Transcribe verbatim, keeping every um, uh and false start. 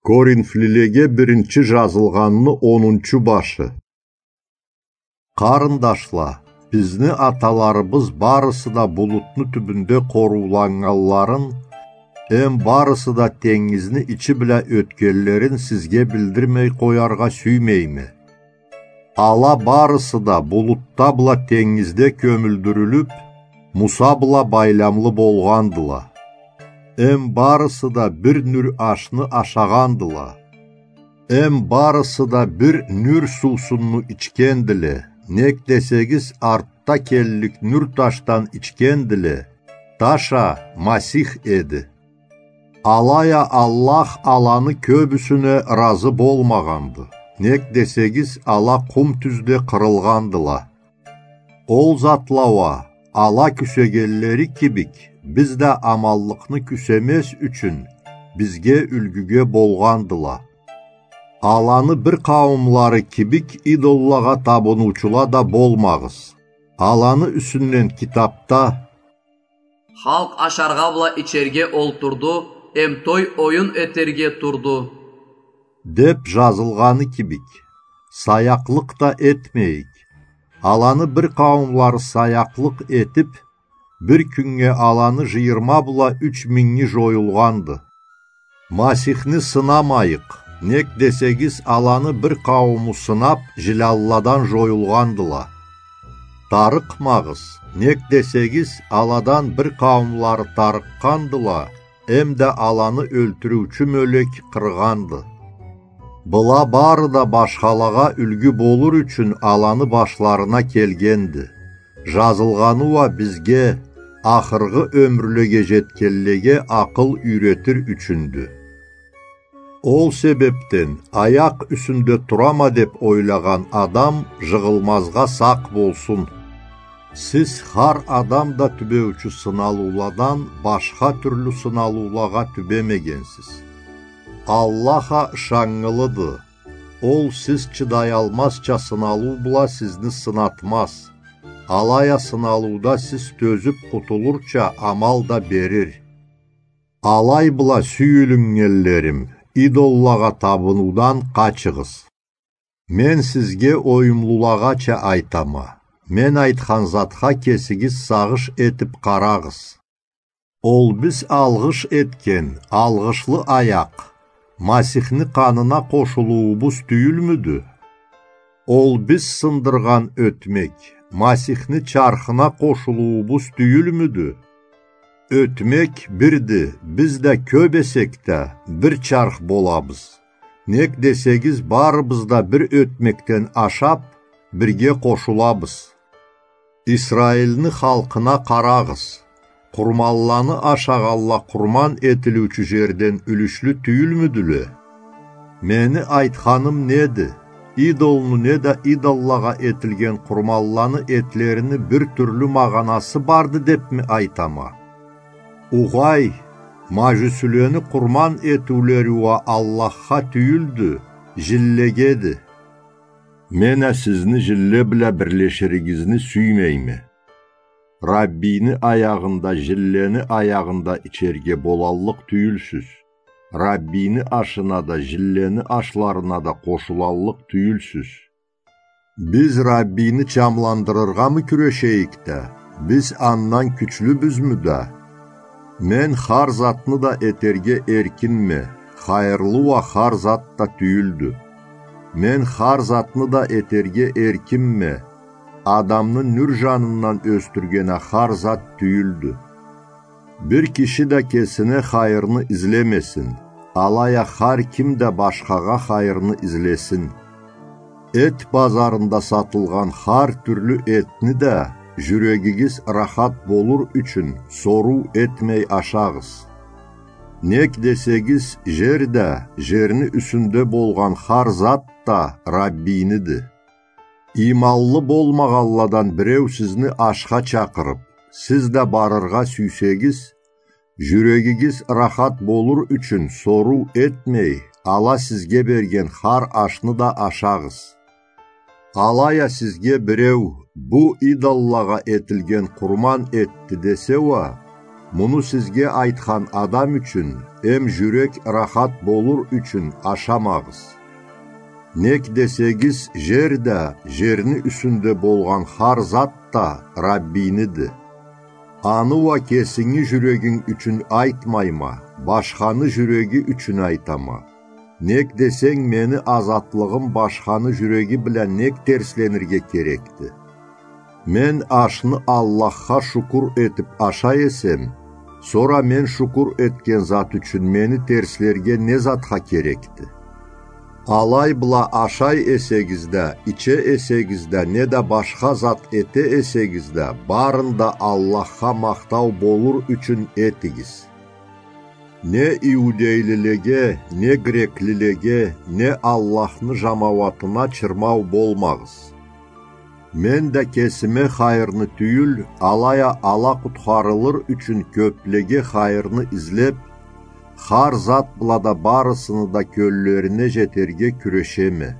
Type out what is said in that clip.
Коринфлилеге биринчи жазылгъанны онунчу башы. Къарындашла, бизни аталарыбыз барысы да булутну тюбюнде къорууланнганларын, эм барысы да тенгизни ичи бла ётгенлерин сизге билдирмей къояргъа сюймейме. Ала барысы да булутда бла тенгизде кёмюлдюрюлюп, Муса бла байламлы болгъандыла. Эм барысы да бир нюр ашны ашагъандыла. Эм барысы да бир нюр суусунну ичгендиле, нек десегиз, артда келлик нюр ташдан ичгендиле, таш а Масих эди. Алай а Аллах аланы кёбюсюне ыразы болмагъанды, нек десегиз, ала къум тюзде къырылгъандыла. Ол затла уа, ала кюсегенлери кибик, биз да аманлыкъны кюсемез ючюн, бизге юлгюге болгъандыла. Аланы бир къауумлары кибик идоллагъа табыныучула да болмагъыз. Аланы юсюнден китапда: «Халкъ ашаргъа бла ичерге олтурду, эм той-оюн этерге турду», — деп жазылгъаны кибик, саякълыкъ да этмейик. Аланы бир къауумлары саякълыкъ этип, бир кюннге аланы жыйырма бла юч минги жоюлгъанды. Масихни сынамайыкъ, нек десегиз, аланы бир къаууму сынап, жилялладан жоюлгъандыла. Тарыкъмагъыз, нек десегиз, аладан бир къауумлары тарыкъгъандыла, эм да аланы ёлтюрюучю мёлек къыргъанды. Была бары да башхалагъа юлгю болур ючюн аланы башларына келгенди. Жазылгъаны уа бизге, ахыргъы ёмюрлеге жетгенлеге, акъыл юйретир ючюндю. Ол себепден аякъ юсюнде турама деп ойлагъан адам жыгъылмазгъа сакъ болсун. Сиз хар адам да тюбеучю сыналыуладан башха тюрлю сыналыулагъа тюбемегенсиз. Аллах а ышаннгылыды. Ол сиз чыдаялмазча сыналыу бла сизни сынатмаз. Алай а сыналыуда сиз тёзюп къутулурча амал да берир. Алай бла, сюйюлюннгенлерим, идоллагъа табынуудан къачыгъыз. Мен сизге оюмлулагъача айтама, мен айтхан затха кесигиз сагъыш этип къарагъыз. Ол биз алгъыш этген алгъышлы аякъ Масихни къанына къошулуубуз тюйюлмюдю? Ол биз сындыргъан ётмек Масихни чархына къошулуубуз тюйюлмюдю? Ётмек бирди, биз да кёб эсек да, бир чарх болабыз. Нек десегиз, барыбыз да бир ётмекден ашаб, бирге къошулабыз. Исраилни халкъына къарагъыз. Къурманланы ашагъанла къурман этилиучю жерден юлюшлю тюйюлмюдюле? Мени айтханым неди? Идолну неда идоллагъа этилген къурманланы этлерини бир тюрлю магъанасы барды дебми айтама? Угъай, мажюсюлени къурман этиулери уа Аллахха тюйюлдю, жинлегеди. Мен а сизни жинле бла бирлеширигизни сюймейме. Раббийни аягъында жинлени аягъында ичерге болаллыкъ тюйюлсюз. Раббийни ашына да, жинлени ашларына да къошулаллыкъ тюйюлсюз. Биз Раббийни чамландырыргъамы кюрешейик да, биз андан кючлюбюзмю да? Мен хар затны да этерге эркинме, хайырлы уа хар зат да тюйюлдю. Мен хар затны да этерге эркинме, адамны нюр жанындан ёсдюрген а хар зат тюйюлдю. Бир киши да кесине хайырны излемесин, алай а хар ким да башхагъа хайырны излесин. Эт базарында сатылгъан хар тюрлю этни да жюрегигиз рахат болур ючюн соруу этмей ашагъыз. Нек десегиз, жер да, жерни юсюнде болгъан хар зат да Раббийниди. Ийманлы болмагъанладан биреу сизни ашха чакъырыб, сиз да барыргъа сюйсегиз, жюрегигиз рахат болур ючюн соруу этмей, ала сизге берген хар ашны да ашагъыз. Алай а сизге биреу: «Бу идоллагъа этилген къурман этди», — десе уа, Муну сизге айтхан адам ючюн эм жюрек рахат болур ючюн ашамагъыз. Нек десегиз, жер да, жерни юсюнде болгъан хар зат да Раббийниди. Аны уа кесинги жюрегинг ючюн айтмайма, башханы жюреги ючюн айтама. Нек десенг, мени азатлыгъым башханы жюреги бла нек терсленирге керекди? Мен ашны Аллахха шукур этип ашай эсем, сора мен шукур этген зат ючюн мени терслерге не затха керекди? Алай бла ашай эсегиз да, иче эсегиз да, неда башха зат эте эсегиз да, барын да Аллахха махтау болур ючюн этигиз. Не иудейлилеге, не греклилеге, не Аллахны жамауатына чырмау болмагъыз. Мен да кесиме хайырны тюйюл, алай а ала къутхарылыр ючюн кёплеге хайырны излеп, хар зат бла да барысыны да кёллерине жетерге кюрешеме.